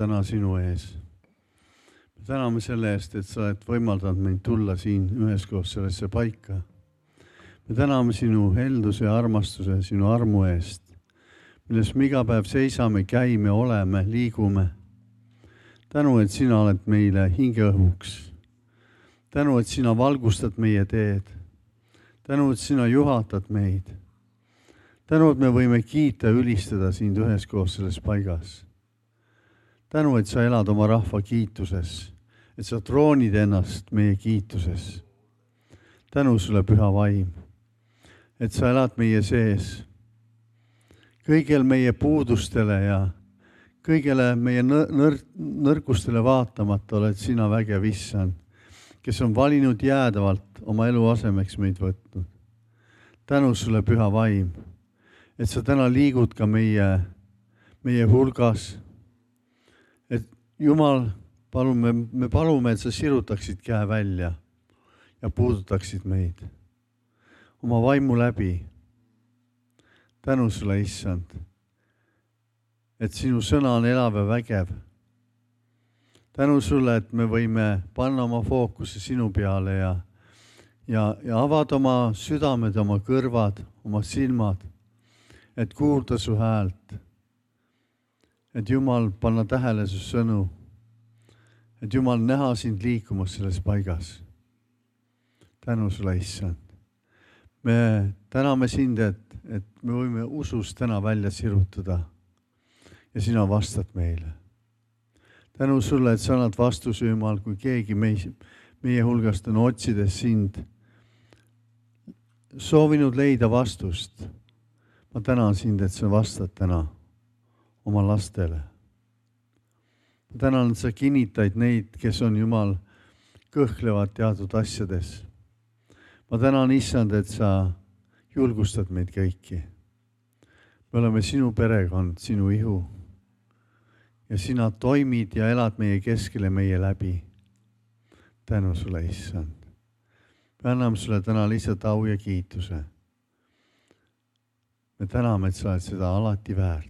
täna sinu ees. Me täname selle eest, et sa oled võimaldanud meid tulla siin üheskoos sellesse paika. Me täname sinu helduse ja armastuse, sinu armu eest, milles me iga päev seisame, käime, oleme, liigume. Tänu, et sina oled meile hingeõhuks. Tänu, et sina valgustad meie teed. Tänu, et sina juhatad meid. Tänu, et me võime kiita ja ülistada sind üheskoos selles paigas. Tänu, et sa elad oma rahva kiituses, et sa troonid ennast meie kiituses. Tänu sulle, püha vaim, et sa elad meie sees. Kõigel meie puudustele ja kõigele meie nõrkustele vaatamata oled sina vägev issand, kes on valinud jäädavalt oma elu asemeks meid võtnud. Tänu sulle, püha vaim, et sa täna liigud ka meie hulgas. Et Jumal, me palume, et sa sirutaksid käe välja ja puudutaksid meid oma vaimu läbi. Tänu sulle, issand, et sinu sõna on elav ja vägev. Tänu sulle, et me võime panna oma fookuse sinu peale ja avada oma südamed, oma kõrvad, oma silmad, et kuulda su häält. Et Jumal, panna tähele su sõnu. Et Jumal, näha sind liikumas selles paigas. Tänu sulle, issand. Me täname sind, et me võime usust täna välja sirutada ja sina vastad meile. Tänu sulle, et sa annad vastuse, Jumal, kui keegi meie hulgast on otsides sind soovinud leida vastust. Ma tänan sind, et sa vastad täna oma lastele. Ma tänan, et sa kinnitaid neid, kes on, Jumal, kõhklevad teatud asjades. Ma tänan, issand, et sa julgustad meid kõiki. Me oleme sinu perekond, sinu ihu. Ja sina toimid ja elad meie keskele, meie läbi. Tänu sulle, issand. Me anname sulle täna lihtsalt au ja kiituse. Me täname, et sa oled seda alati väärt.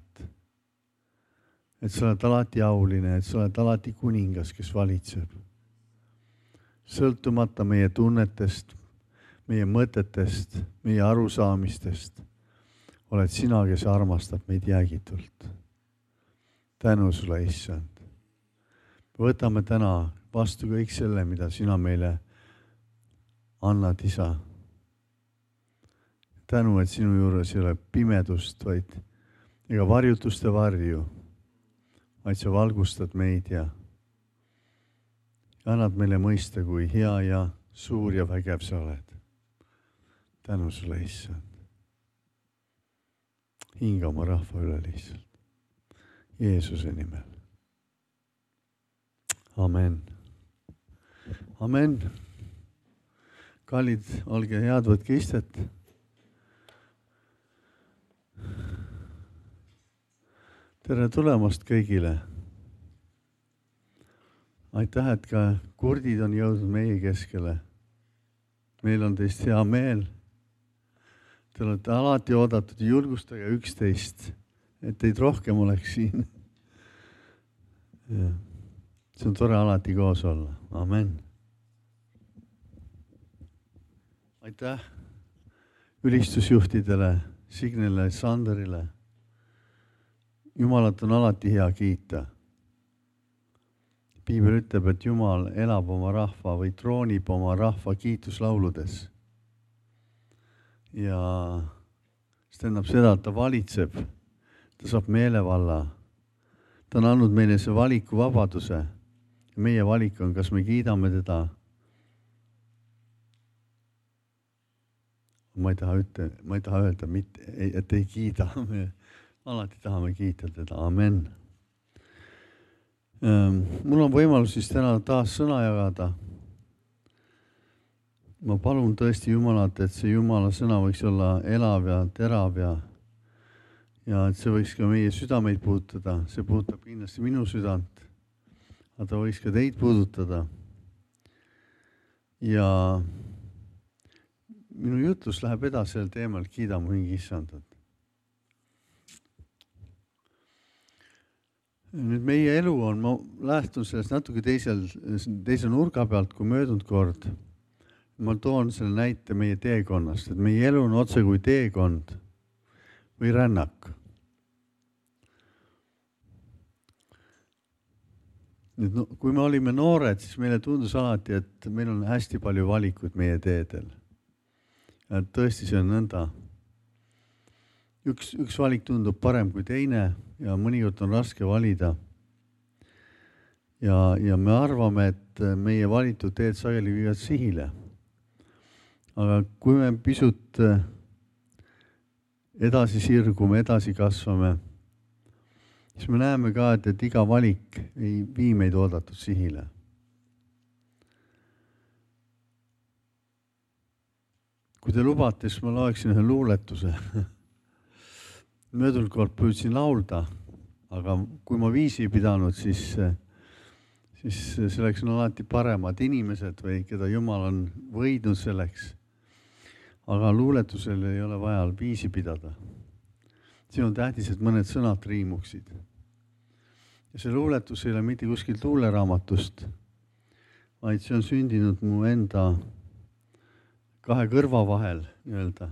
Et sa oled alati auline, et sa oled alati kuningas, kes valitseb. Sõltumata meie tunnetest, meie mõtetest, meie arusaamistest, oled sina, kes armastab meid jäägitult. Tänu sulle, issand. Võtame täna vastu kõik selle, mida sina meile annad, isa. Tänu, et sinu juures ei ole pimedust, vaid ega varjutuste varju, vaid sa valgustad meid ja annad meile mõista, kui hea ja suur ja vägev sa oled. Tänu sulle, issand. Hinga oma rahva üle lihtsalt. Jeesuse nimel. Amen. Amen. Kallid, olge head, võtke istet. Tere tulemast kõigile. Aitäh, et ka kurdid on jõudnud meie keskele. Meil on teist hea meel. Te olete alati oodatud, julgustage üksteist, et teid rohkem oleks siin. See on tore alati koos olla. Amen. Aitäh ülistusjuhtidele, Signele, Sanderile. Jumalat on alati hea kiita. Piibel ütleb, et Jumal elab oma rahva või troonib oma rahva kiituslauludes. Ja see tähendab seda, et ta valitseb, ta saab meelevalla. Ta on andnud meile see valikuvabaduse. Meie valik on, kas me kiidame teda. Ma ei taha öelda, et ei kiida. Me alati tahame kiita teda. Amen. Mul on võimalus siis täna taas sõna jagada. Ma palun tõesti Jumalat, et see Jumala sõna võiks olla elav ja terav ja et see võiks ka meie südameid puudutada. See puudutab kindlasti minu südant, aga ta võiks ka teid puudutada. Ja minu jutlus läheb edasi sel teemal, kiida mu hingi issandat. Nüüd meie elu on, ma lähtun sellest natuke teise nurga pealt kui möödunud kord. Ma toon selle näite meie teekonnast, et meie elu on otse kui teekond või rännak. Nüüd, kui me olime noored, siis meile tundus alati, et meil on hästi palju valikuid meie teedel. Ja tõesti see on nõnda. Üks valik tundub parem kui teine ja mõnikord on raske valida. Ja me arvame, et meie valitud teed sageli viivad sihile. Aga kui me pisut edasi sirgume, edasi kasvame, siis me näeme ka, et iga valik ei vii meid oodatud sihile. Kui te lubate, siis ma loeksin ühe luuletuse. Möödunud kord püüdsin laulda, aga kui ma viisi ei pidanud, siis selleks on alati paremad inimesed või keda Jumal on võidnud selleks. Aga luuletusel ei ole vaja viisi pidada. See on tähtis, et mõned sõnad riimuksid. Ja see luuletus ei ole mitte kuskilt luuleraamatust, vaid see on sündinud mu enda kahe kõrva vahel nii-öelda.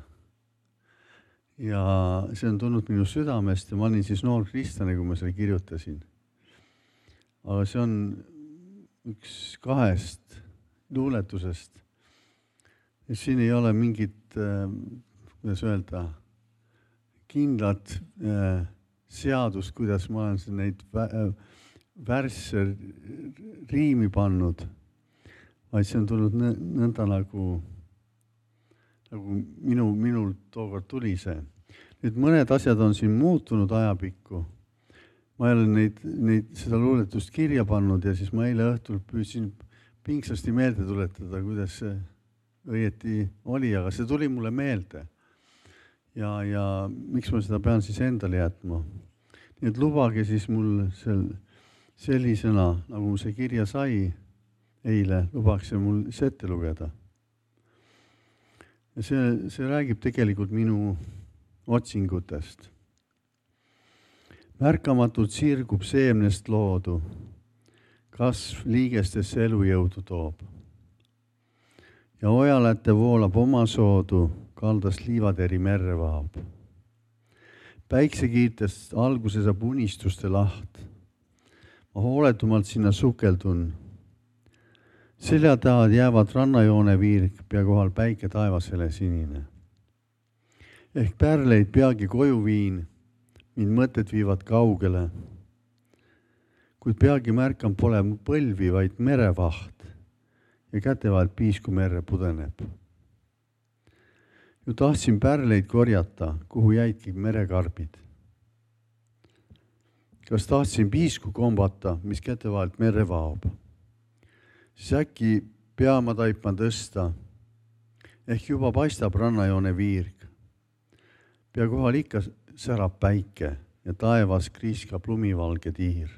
Ja see on tulnud minu südamest ja ma olin siis noor kristlane, kui ma selle kirjutasin. Aga see on üks kahest luuletusest. Ja siin ei ole mingit, kuidas öelda, kindlat seadust, kuidas ma olen neid värsse riimi pannud, vaid see on tulnud nõnda nagu minul tookord tuli see. Nüüd mõned asjad on siin muutunud ajapikku. Ma ei ole seda luuletust kirja pannud ja siis ma eile õhtul püüdsin pingsasti meelde tuletada, kuidas see õieti oli, aga see tuli mulle meelde. Ja miks ma seda pean siis endale jätma? Nii et lubage siis mul sellisena, nagu see kirja sai eile, lubaks see mul ette lugeda. Ja see räägib tegelikult minu otsingutest. Märkamatult sirgub seemnest loodu, kasv liigestesse elujõudu toob. Ja ojaläte voolab oma soodu, kaldast liivateri merre vaab. Päiksekiirtest alguse saab unistuste laht. Ma hooletumalt sinna sukeldun. Selja taha jäävad rannajoone viirg, pea kohal päike taevasele sinine. Ehk pärleid peagi koju viin, mind mõtted viivad kaugele. Kuid peagi märkan pole põlvi, vaid merevaht ja kätevahelt piisku merre pudeneb. Ju tahtsin pärleid korjata, kuhu jäidki merekarbid. Kas tahtsin piisku kombata, mis kätevahelt merre vaob? Siis äkki pea ma taipan tõsta, ehk juba paistab rannajoone viirg. Pea kohal ikka särab päike ja taevas kriiskab lumivalge tiir.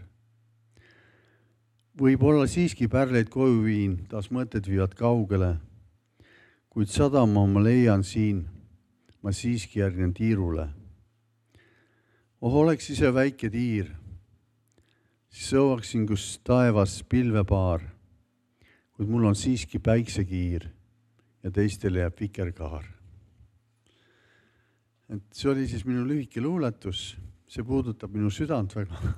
Võib-olla siiski pärleid koju viin, taas mõtted viivad kaugele, kuid sadama ma leian siin, ma siiski järgnen tiirule. Oleks ise väike tiir, siis sõuaksin, kus taevas pilvepaar, kuid mul on siiski päiksekiir ja teistele jääb vikerkaar. Et see oli siis minu lühike luuletus, see puudutab minu südant väga.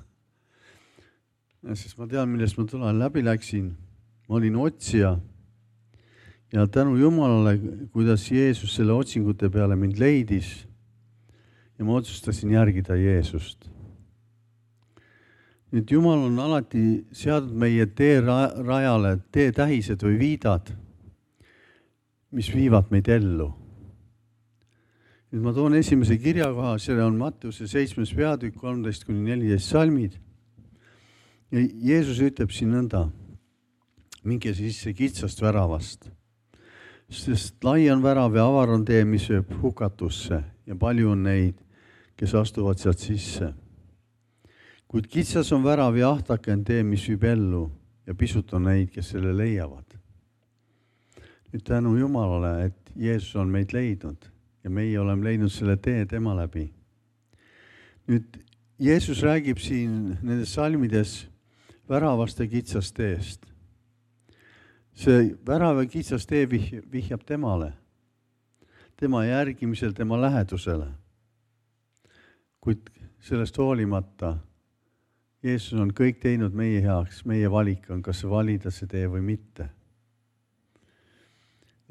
Sest ma tean, millest ma tulen läbi läksin. Ma olin otsija ja tänu Jumalale, kuidas Jeesus selle otsingute peale mind leidis ja ma otsustasin järgida Jeesust. Nüüd Jumal on alati seadnud meie tee rajale teetähised või viidad, mis viivad meid ellu. Nüüd ma toon esimese kirjakoha, see on Matteuse 7. peatükk 13-14 salmid. Ja Jeesus ütleb siin nõnda, minge sisse kitsast väravast, sest lai on värav ja avar on tee, mis sööb hukatusse ja palju on neid, kes astuvad sealt sisse. Kuid kitsas on värav ja ahtake on tee, mis viib ellu ja pisut on neid, kes selle leiavad. Nüüd tänu Jumalale, et Jeesus on meid leidnud ja meie oleme leidnud selle tee tema läbi. Nüüd Jeesus räägib siin nendes salmides väravast ja kitsast teest. See värav ja kitsas tee vihjab temale, tema järgimisel, tema lähedusele. Kuid sellest hoolimata Jeesus on kõik teinud meie heaks, meie valik on, kas valida see tee või mitte.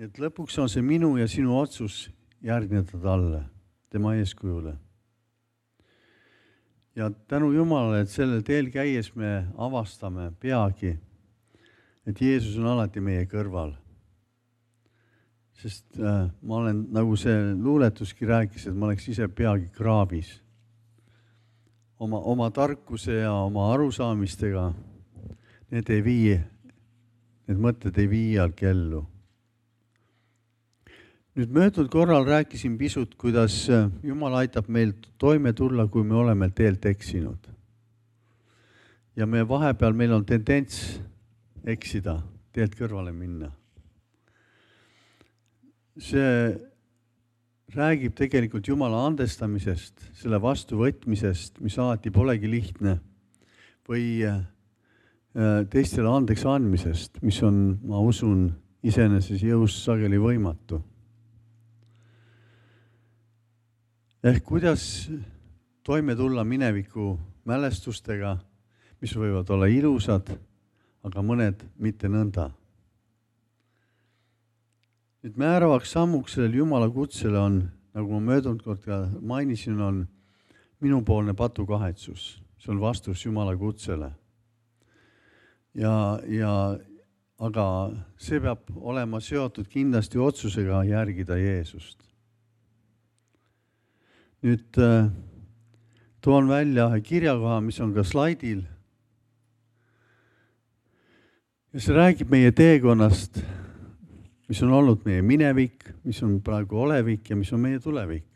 Et lõpuks on see minu ja sinu otsus järgneda talle, tema eeskujule. Ja tänu Jumalale, et sellel teel käies me avastame peagi, et Jeesus on alati meie kõrval. Sest ma olen, nagu see luuletuski rääkis, et ma oleks ise peagi kraavis. Oma tarkuse ja oma arusaamistega need mõtted ei vii jalg ellu. Nüüd möödunud korral rääkisin pisut, kuidas Jumal aitab meil toime tulla, kui me oleme teelt eksinud. Ja vahepeal meil on tendents eksida, teelt kõrvale minna. See räägib tegelikult Jumala andestamisest, selle vastuvõtmisest, mis alati polegi lihtne, või teistele andeks andmisest, mis on, ma usun, iseeneses jõus sageli võimatu. Ehk kuidas toime tulla mineviku mälestustega, mis võivad olla ilusad, aga mõned mitte nõnda. Nüüd määravaks sammuks sellel Jumala kutsele on, nagu ma möödunud kord ka mainisin, on minupoolne patukahetsus. See on vastus Jumala kutsele. Aga see peab olema seotud kindlasti otsusega järgida Jeesust. Nüüd toon välja kirjakoha, mis on ka slaidil. Ja see räägib meie teekonnast, mis on olnud meie minevik, mis on praegu olevik ja mis on meie tulevik.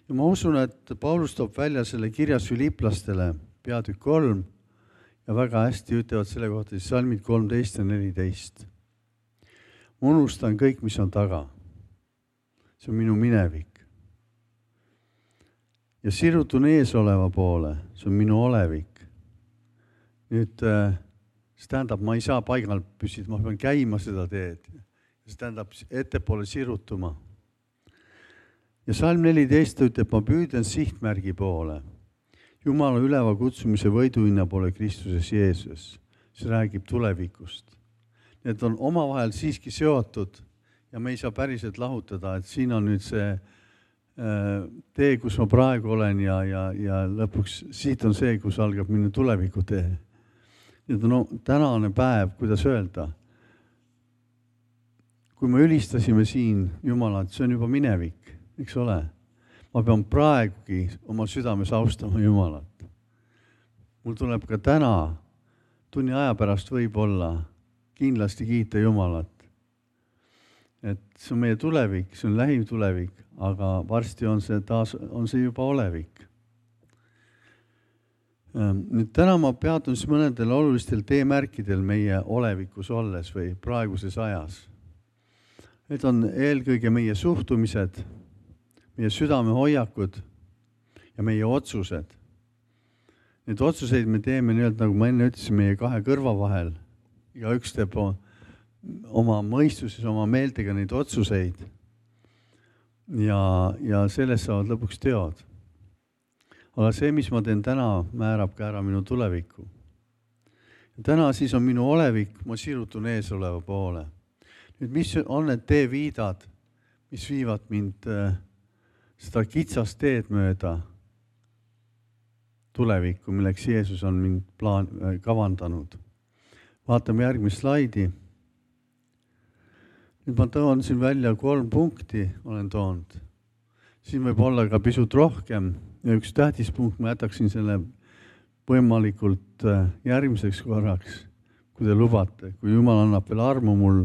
Ja ma usun, et Paulus toob välja selle kirjas Filiplastele peatükk 3 ja väga hästi ütlevad selle kohta salmid 13 ja 14. Ma unustan kõik, mis on taga. See on minu minevik. Ja sirutun ees oleva poole, see on minu olevik. Nüüd see tähendab, ma ei saa paigal püsida, ma pean käima seda teed. See tähendab ettepoole sirutuma. Ja salm 14 ütleb, ma püüden sihtmärgi poole. Jumala üleva kutsumise võiduhinna poole Kristuses Jeesus. See räägib tulevikust. Need on omavahel siiski seotud ja me ei saa päriselt lahutada, et siin on nüüd see tee, kus ma praegu olen ja lõpuks siit on see, kus algab minu tuleviku tee. Nüüd on tänane päev, kuidas öelda. Kui me ülistasime siin Jumalat, see on juba minevik, eks ole. Ma pean praegugi oma südames austama Jumalat. Mul tuleb ka täna, tunni aja pärast võib-olla kindlasti kiita Jumalat. Et see on meie tulevik, see on lähim tulevik, aga varsti on see juba olevik. Nüüd täna ma peatun siis mõnedel olulistel teemärkidel meie olevikus olles või praeguses ajas. Need on eelkõige meie suhtumised, meie südamehoiakud ja meie otsused. Need otsuseid me teeme nii-öelda, nagu ma enne ütlesin, meie kahe kõrva vahel. Ja üks teeb oma mõistuses, oma meeltega neid otsuseid ja sellest saavad lõpuks teod. Aga see, mis ma teen täna, määrab ka ära minu tuleviku. Ja täna siis on minu olevik, ma sirutun ees oleva poole. Nüüd, mis on need teeviidad, mis viivad mind seda kitsast teed mööda tulevikku, milleks Jeesus on mind kavandanud. Vaatame järgmist slaidi. Nüüd ma toon siin välja 3 punkti, olen toonud. Siin võib olla ka pisut rohkem ja üks tähtis punkt, ma jätaksin selle võimalikult järgmiseks korraks, kui te lubate. Kui Jumal annab veel armu mul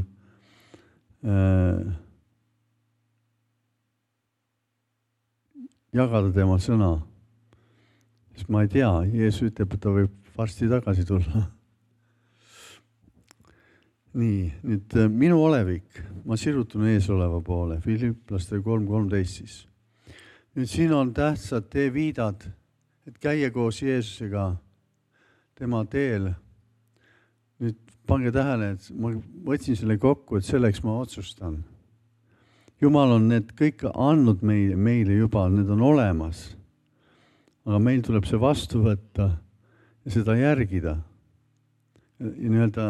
jagada tema sõna. Sest ma ei tea, Jeesus ütleb, et ta võib varsti tagasi tulla. Nii, nüüd minu olevik, ma sirutun ees oleva poole, Filiplaste 3.13 siis. Nüüd siin on tähtsad teeviidad, et käia koos Jeesusega tema teel. Nüüd pange tähele, et ma võtsin selle kokku, et selleks ma otsustan. Jumal on need kõik andnud meile juba, need on olemas. Aga meil tuleb see vastu võtta ja seda järgida. Ja nii-öelda,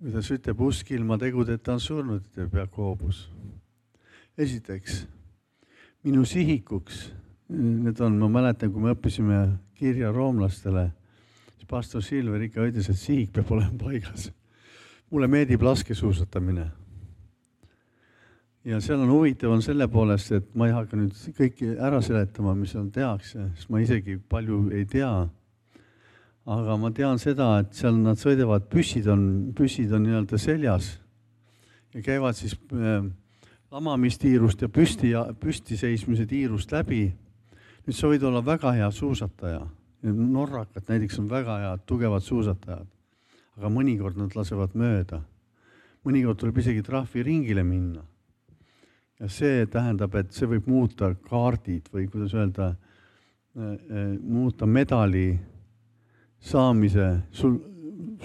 kuidas ütleb, usk ilma tegudeta on surnud, ütleb Jakobus. Esiteks, minu sihikuks, need on, ma mäletan, kui me õppisime kirja roomlastele, siis pastor Silver ikka ütles, et sihik peab olema paigas. Mulle meeldib laskesuusatamine. Ja seal on huvitav on selle poolest, et ma ei hakka nüüd kõiki ära seletama, mis seal tehakse, sest ma isegi palju ei tea. Aga ma tean seda, et seal nad sõidavad, püssid on nii-öelda seljas ja käivad siis lamamistiirust ja püsti seismise tiirust läbi. Nüüd sa võid olla väga hea suusataja. Norrakad näiteks on väga head, tugevad suusatajad. Aga mõnikord nad lasevad mööda. Mõnikord tuleb isegi trahviringile minna. Ja see tähendab, et see võib muuta kaardid või kuidas öelda, muuta medali saamise. Sul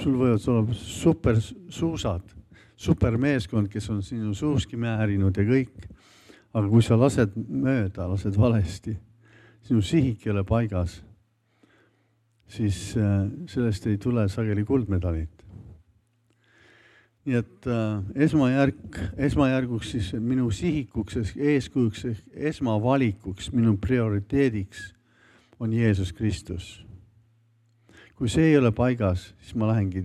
võivad olla super suusad, super meeskond, kes on sinu suuski määrinud ja kõik. Aga kui sa lased mööda, lased valesti, sinu sihik ei ole paigas, siis sellest ei tule sageli kuldmedalit. Nii et esmajärguks siis minu sihikuks, eeskujuks, esmavalikuks, minu prioriteediks on Jeesus Kristus. Kui see ei ole paigas, siis ma lähengi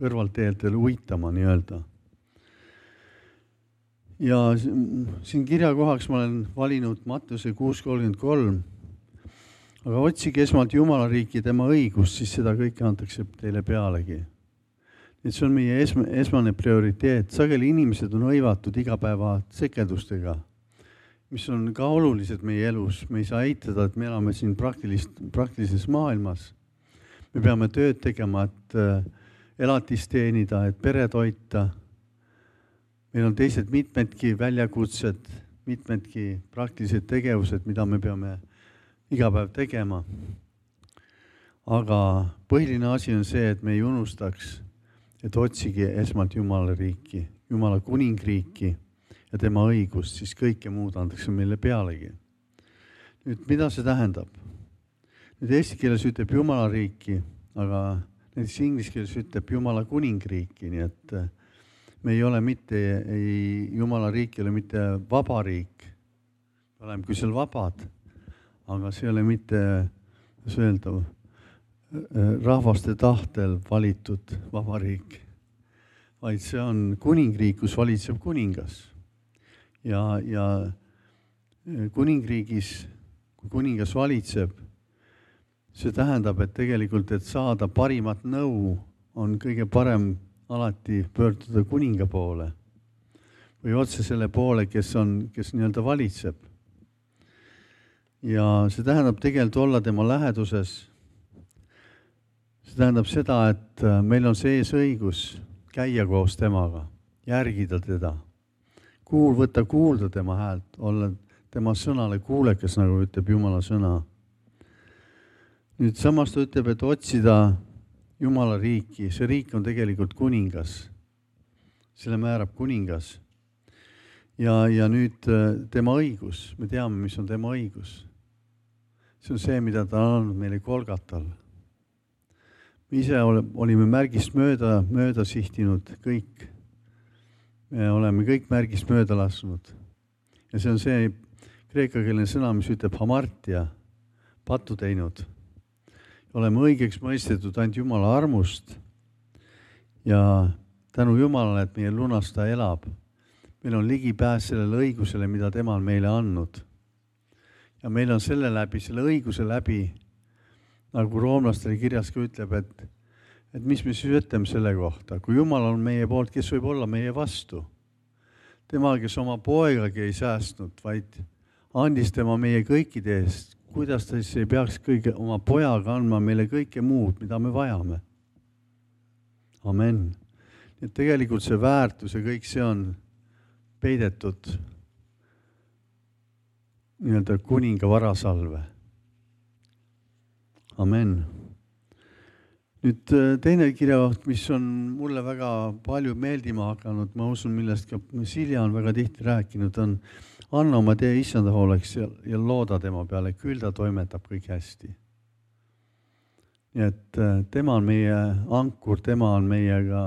kõrvalteeltele uitama nii-öelda. Ja siin kirjakohaks ma olen valinud Mattuse 6:33. Aga otsige esmalt Jumala riiki tema õigust, siis seda kõike antakse teile pealegi. Et see on meie esmane prioriteet. Sageli inimesed on hõivatud igapäeva sekeldustega, mis on ka olulised meie elus. Me ei saa eitada, et me elame siin praktilises maailmas. Me peame tööd tegema, et elatist teenida, et pere toita. Meil on teised mitmedki väljakutsed, mitmedki praktilised tegevused, mida me peame iga päev tegema. Aga põhiline asi on see, et me ei unustaks, et otsige esmalt Jumala riiki, Jumala kuningriiki ja tema õigust, siis kõike muud antakse meile pealegi. Nüüd, mida see tähendab? Nüüd eesti keeles ütleb Jumala riiki, aga näiteks inglise keeles ütleb Jumala kuningriiki, nii et me ei ole mitte, Jumala riik ei ole mitte vaba riik, oleme küll seal vabad, aga see ei ole mitte, mis öelda, rahvaste tahtel valitud vabariik, vaid see on kuningriik, kus valitseb kuningas. Ja kuningriigis, kui kuningas valitseb, see tähendab, et tegelikult, et saada parimat nõu, on kõige parem alati pöörduda kuninga poole või otse selle poole, kes nii-öelda valitseb. Ja see tähendab tegelikult olla tema läheduses. See tähendab seda, et meil on sees õigus käia koos temaga, järgida teda, võtta kuulda tema häält, olla tema sõnale kuulekas, nagu ütleb Jumala sõna. Nüüd samas ta ütleb, et otsida Jumala riiki, see riik on tegelikult kuningas, selle määrab kuningas. Ja nüüd tema õigus, me teame, mis on tema õigus. See on see, mida ta on andnud meile Golgatal. Me ise olime märgist mööda sihtinud kõik. Me oleme kõik märgist mööda lasnud. Ja see on see kreekakeelne sõna, mis ütleb hamartia, pattu teinud. Oleme õigeks mõistetud ainult Jumala armust ja tänu Jumalale, et meie lunasta elab. Meil on ligipääs sellele õigusele, mida tema on meile andnud. Ja meil on selle õiguse läbi, nagu roomlastele kirjas ka ütleb, et mis me siis ütleme selle kohta. Kui Jumal on meie poolt, kes võib olla meie vastu? Tema, kes oma poegagi ei säästnud, vaid andis tema meie kõikide eest. Kuidas ta siis ei peaks oma pojaga andma meile kõike muud, mida me vajame? Amen. Et tegelikult see väärtus ja kõik see on peidetud nii-öelda kuninga varasalve. Amen. Nüüd teine kirjakoht, mis on mulle väga palju meeldima hakanud, ma usun, millest ka Silja on väga tihti rääkinud, on anna oma tee issanda hooleks ja looda tema peale, küll ta toimetab kõik hästi. Nii et tema on meie ankur, tema on meiega,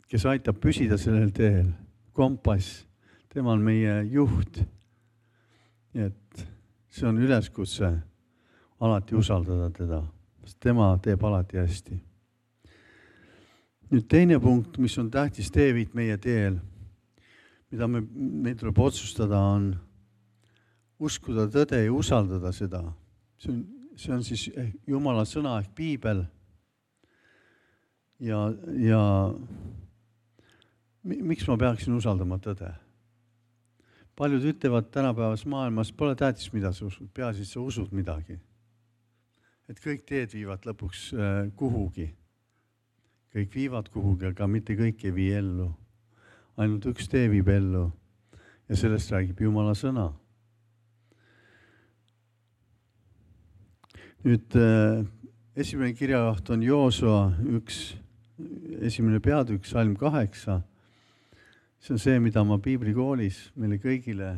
kes aitab püsida sellel teel, kompass, tema on meie juht. Nii et see on üleskutse alati usaldada teda. Tema teeb alati hästi. Nüüd teine punkt, mis on tähtis teeviit meie teel, mida meil tuleb otsustada, on uskuda tõde ja usaldada seda. See on siis Jumala sõna ehk Piibel. Ja miks ma peaksin usaldama tõde? Paljud ütlevad tänapäevas maailmas, pole tähtis, mida sa usud, peaasi, sa usud midagi. Et kõik teed viivad lõpuks kuhugi. Kõik viivad kuhugi, aga mitte kõik ei vii ellu. Ainult üks tee viib ellu ja sellest räägib Jumala sõna. Nüüd esimene kirjakoht on Joosua 1. peatükk, salm 8. See on see, mida ma piibrikoolis meile kõigile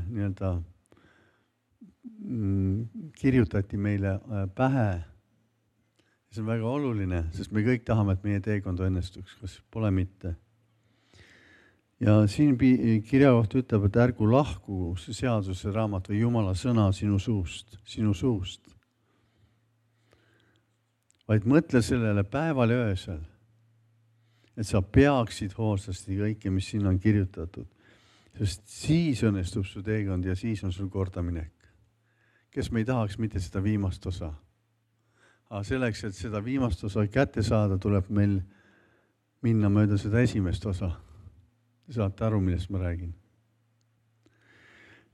kirjutati meile pähe. See on väga oluline, sest me kõik tahame, et meie teekond õnnestuks, kas pole mitte. Ja siin kirjakoht ütleb, et ärgu lahku see seaduse raamat või Jumala sõna sinu suust. Vaid mõtle sellele päeval ja öösel, et sa peaksid hoolsasti kõike, mis siin on kirjutatud. Sest siis õnnestub su teekond ja siis on sul kordaminek. Kes me ei tahaks mitte seda viimast osa. Aga selleks, et seda viimast osa kätte saada, tuleb meil minna mööda seda esimest osa. Te saate aru, millest ma räägin.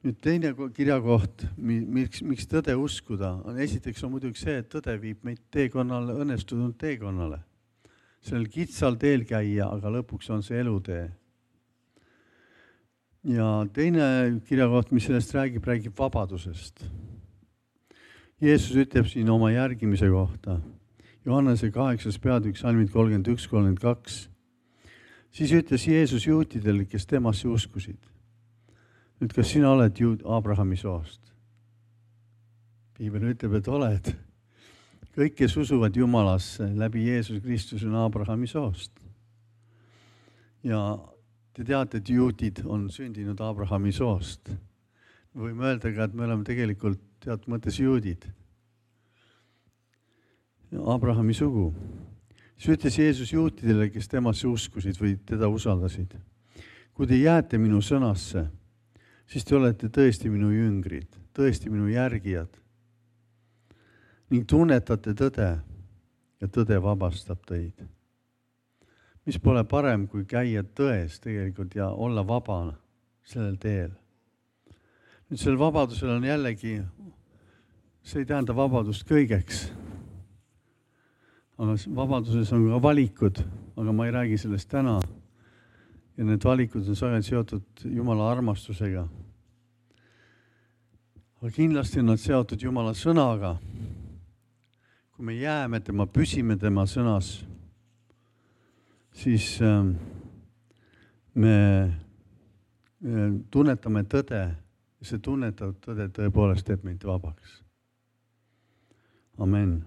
Nüüd teine kirjakoht, miks tõde uskuda, on esiteks on muidugi see, et tõde viib meid teekonnale, õnnestunud teekonnale. Sellel kitsal teel käia, aga lõpuks on see elutee. Ja teine kirjakoht, mis sellest räägib vabadusest. Jeesus ütleb siin oma järgimise kohta. Johannese 8. peatükk, salmid 31-32. Siis ütles Jeesus juutidele, kes temasse uskusid. Nüüd, kas sina oled Abrahami soost? Piibel ütleb, et oled. Kõik, kes usuvad Jumalasse läbi Jeesus Kristus on Abrahami soost. Ja te teate, et juutid on sündinud Abrahami soost. Me võime öelda ka, et me oleme tegelikult teatud mõttes juudid. Abrahami sugu. Siis ütles Jeesus juutidele, kes temasse uskusid või teda usaldasid. Kui te jääte minu sõnasse, siis te olete tõesti minu jüngrid, tõesti minu järgijad. Ning tunnetate tõde ja tõde vabastab teid. Mis pole parem, kui käia tões tegelikult ja olla vaba sellel teel. Nüüd sellel vabadusel on jällegi, see ei tähenda vabadust kõigeks. Aga vabaduses on ka valikud, aga ma ei räägi sellest täna. Ja need valikud on sageli seotud Jumala armastusega. Aga kindlasti on nad seotud Jumala sõnaga. Kui me jääme tema, püsime tema sõnas, siis me tunnetame tõde. See tunnetav tõde tõepoolest teeb meid vabaks. Amen.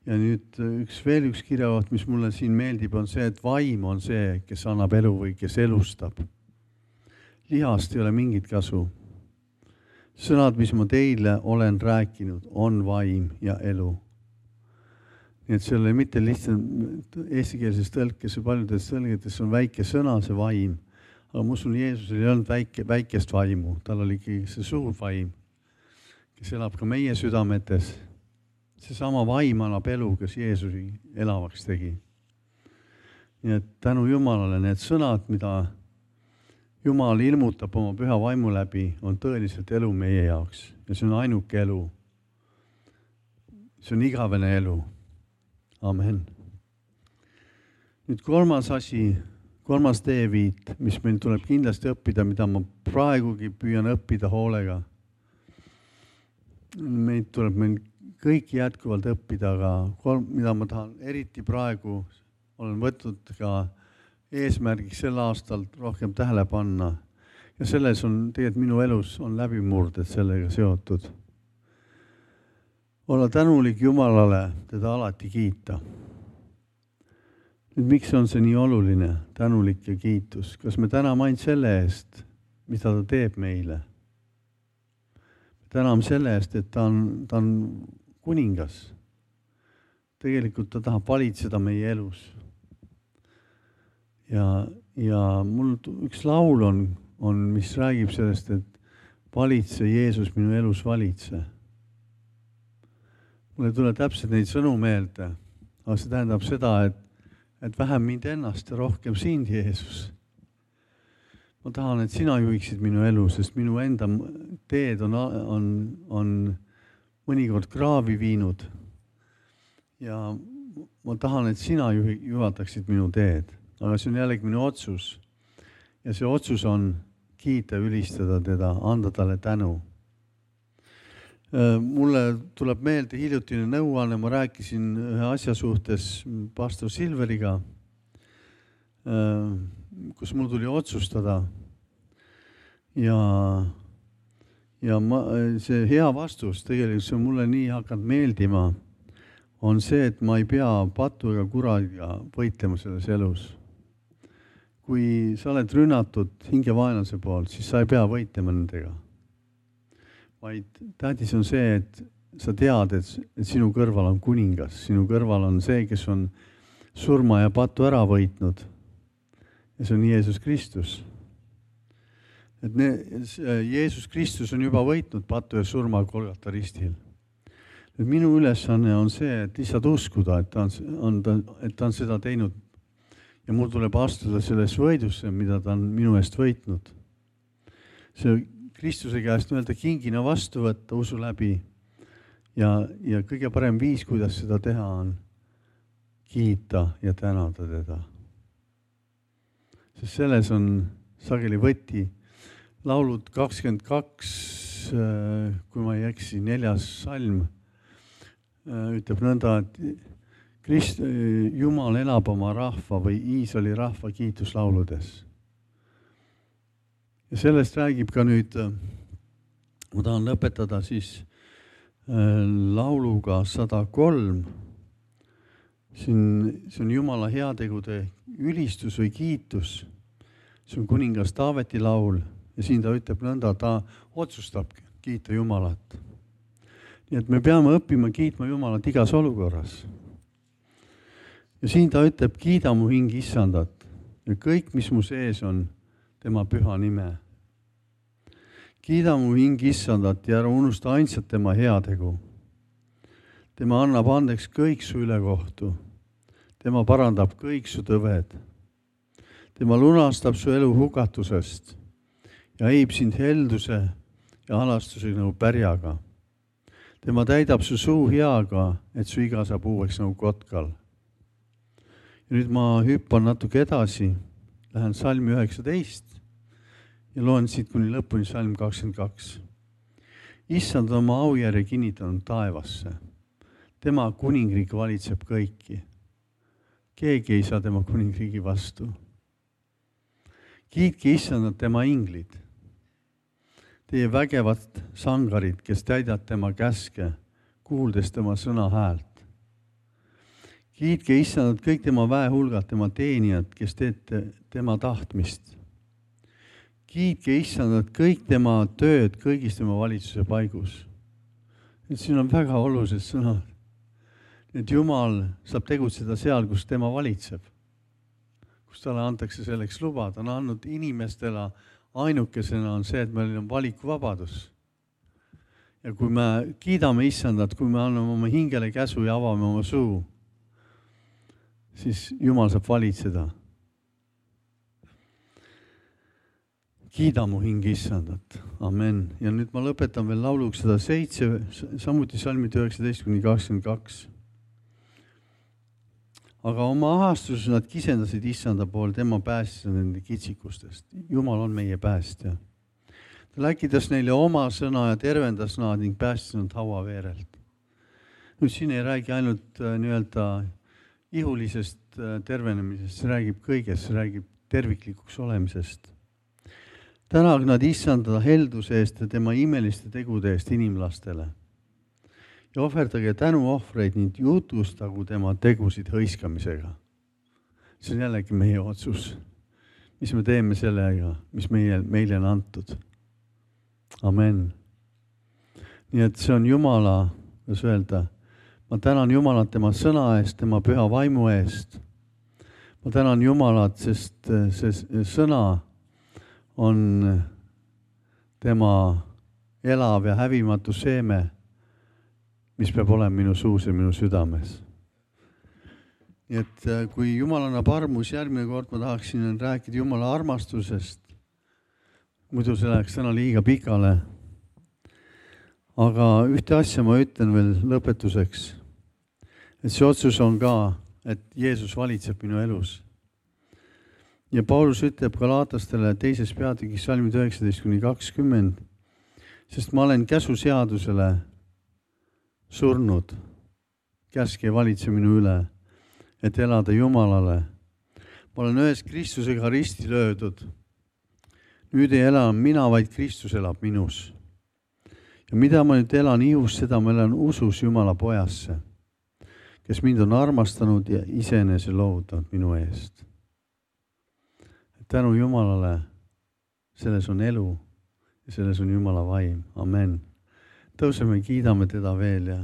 Ja nüüd veel üks kirjakoht, mis mulle siin meeldib, on see, et vaim on see, kes annab elu või kes elustab. Lihast ei ole mingit kasu. Sõnad, mis ma teile olen rääkinud, on vaim ja elu. Nii et see oli mitte lihtsalt eestikeelses tõlkes ja paljudes tõlgetes on väike sõna, see vaim. Aga ma usun, Jeesusel ei olnud väikest vaimu, tal oli see suur vaim, kes elab ka meie südametes. See sama vaim annab elu, kes Jeesusi elavaks tegi. Nii et tänu Jumalale need sõnad, mida Jumal ilmutab oma püha vaimu läbi, on tõeliselt elu meie jaoks. Ja see on ainuke elu. See on igavene elu. Amen. Nüüd kolmas asi, kolmas teeviit, mis meil tuleb kindlasti õppida, mida ma praegugi püüan õppida hoolega. Meid tuleb meil kõiki jätkuvalt õppida, aga mida ma tahan eriti praegu, olen võtnud ka eesmärgiks sel aastal rohkem tähele panna. Ja selles on tegelikult minu elus on läbimurded sellega seotud. Olla tänulik Jumalale, teda alati kiita. Nüüd, miks on see nii oluline, tänulik ja kiitus? Kas me täname ainult selle eest, mida ta teeb meile? Me täname selle eest, et ta on kuningas. Tegelikult ta tahab valitseda meie elus. Ja mul üks laul on, mis räägib sellest, et valitse Jeesus minu elus valitse. Mulle tule täpselt neid sõnu meelde, aga see tähendab seda, et vähem mind ennast ja rohkem sind, Jeesus. Ma tahan, et sina juhiksid minu elu, sest minu enda teed on mõnikord kraavi viinud. Ja ma tahan, et sina juhataksid minu teed, aga see on jällegi minu otsus. Ja see otsus on kiita, ülistada teda, anda talle tänu. Mulle tuleb meelde hiljutine nõuanne, ma rääkisin ühe asja suhtes pastor Silveriga, kus mul tuli otsustada. Ja see hea vastus, tegelikult see on mulle nii hakanud meeldima, on see, et ma ei pea patu ega kuraga võitlema selles elus. Kui sa oled rünnatud hingevaenlase poolt, siis sa ei pea võitlema nendega. Vaid tähtis on see, et sa tead, et sinu kõrval on kuningas. Sinu kõrval on see, kes on surma ja patu ära võitnud. Ja see on Jeesus Kristus. Et Jeesus Kristus on juba võitnud patu ja surma Golgata ristil. Et minu ülesanne on see, et lihtsalt uskuda, et ta on seda teinud. Ja mul tuleb astuda selles võidusse, mida ta on minu eest võitnud. See Kristuse käest öelda kingina vastu võtta usu läbi. Ja kõige parem viis, kuidas seda teha on kiita ja tänada teda. Sest selles on sageli võti. Laulud 22, kui ma ei eksi, 4. salm ütleb nõnda, et Jumal elab oma rahva või Iisraeli rahva kiituslauludes. Ja sellest räägib ka nüüd, ma tahan lõpetada siis lauluga 103. See on Jumala heategude ülistus või kiitus. See on kuningas Taaveti laul ja siin ta ütleb nõnda, ta otsustab kiita Jumalat. Nii et me peame õppima kiitma Jumalat igas olukorras. Ja siin ta ütleb, kiida mu hing Issandat ja kõik, mis mu sees on, tema püha nime. Kiida mu hing Issandat ja ära unusta ainsat tema heategu. Tema annab andeks kõik su ülekohtu. Tema parandab kõik su tõved. Tema lunastab su elu hukatusest ja heib sind helduse ja halastusega nagu pärjaga. Tema täidab su suu heaga, et su iga saab uueks nagu kotkal. Ja nüüd ma hüppan natuke edasi, lähen salmi 19 ja loen siit kuni lõpuni salm 22. Issand on oma aujärje kinnitanud taevasse. Tema kuningriik valitseb kõiki. Keegi ei saa tema kuningriigi vastu. Kiitke Issandat tema inglid. Teie vägevad sangarid, kes täidad tema käske, kuuldes tema sõna häält. Kiitke Issandat kõik tema väehulgad, tema teenijad, kes teete tema tahtmist. Kiitke Issandat kõik tema tööd kõigis tema valitsuse paigus. Et siin on väga olulised sõnad. Et Jumal saab tegutseda seal, kus tema valitseb. Kus talle antakse selleks luba. Ta on andnud inimestele ainukesena on see, et meil on valikuvabadus. Ja kui me kiidame Issandat, kui me anname oma hingele käsu ja avame oma suu, siis Jumal saab valitseda. Kiida mu hing Issandat. Amen. Ja nüüd ma lõpetan veel lauluks 107, samuti salmid 19-22. Aga oma ahastuses nad kisendasid Issanda pool, tema päästis nende kitsikustest. Jumal on meie päästja. Ta läkitas neile oma sõna ja tervendas nad ning päästis nad hauaveerelt. Nüüd siin ei räägi ainult nii-öelda ihulisest tervenemisest, see räägib kõigest, see räägib terviklikuks olemisest. Tänagu nad issanda helduse eest ja tema imeliste tegude eest inimlastele. Ja ohverdage tänuohvreid ning jutustagu tema tegusid hõiskamisega. See on jällegi meie otsus. Mis me teeme sellega, mis meile on antud. Amen. Nii et see on Jumala, kuidas öelda, ma tänan Jumalat tema sõna eest, tema püha vaimu eest. Ma tänan Jumalat, sest see sõna on tema elav ja hävimatu seeme, mis peab olema minu suus ja minu südames. Nii et kui Jumal annab armus, järgmine kord ma tahaksin rääkida Jumala armastusest. Muidu see läheks täna liiga pikale. Aga ühte asja ma ütlen veel lõpetuseks. Et see otsus on ka, et Jeesus valitseb minu elus. Ja Paulus ütleb Galatastele 2. peatükis salmid 19-20, sest ma olen käsuseadusele surnud. Käsk ei valitse minu üle, et elada Jumalale. Ma olen ühes Kristusega risti löödud. Nüüd ei ela mina, vaid Kristus elab minus. Ja mida ma nüüd elan ihus, seda ma elan usus Jumala pojasse, kes mind on armastanud ja iseenese loovutanud minu eest. Tänu Jumalale, selles on elu ja selles on Jumala vaim. Amen. Tõuseme, kiidame teda veel ja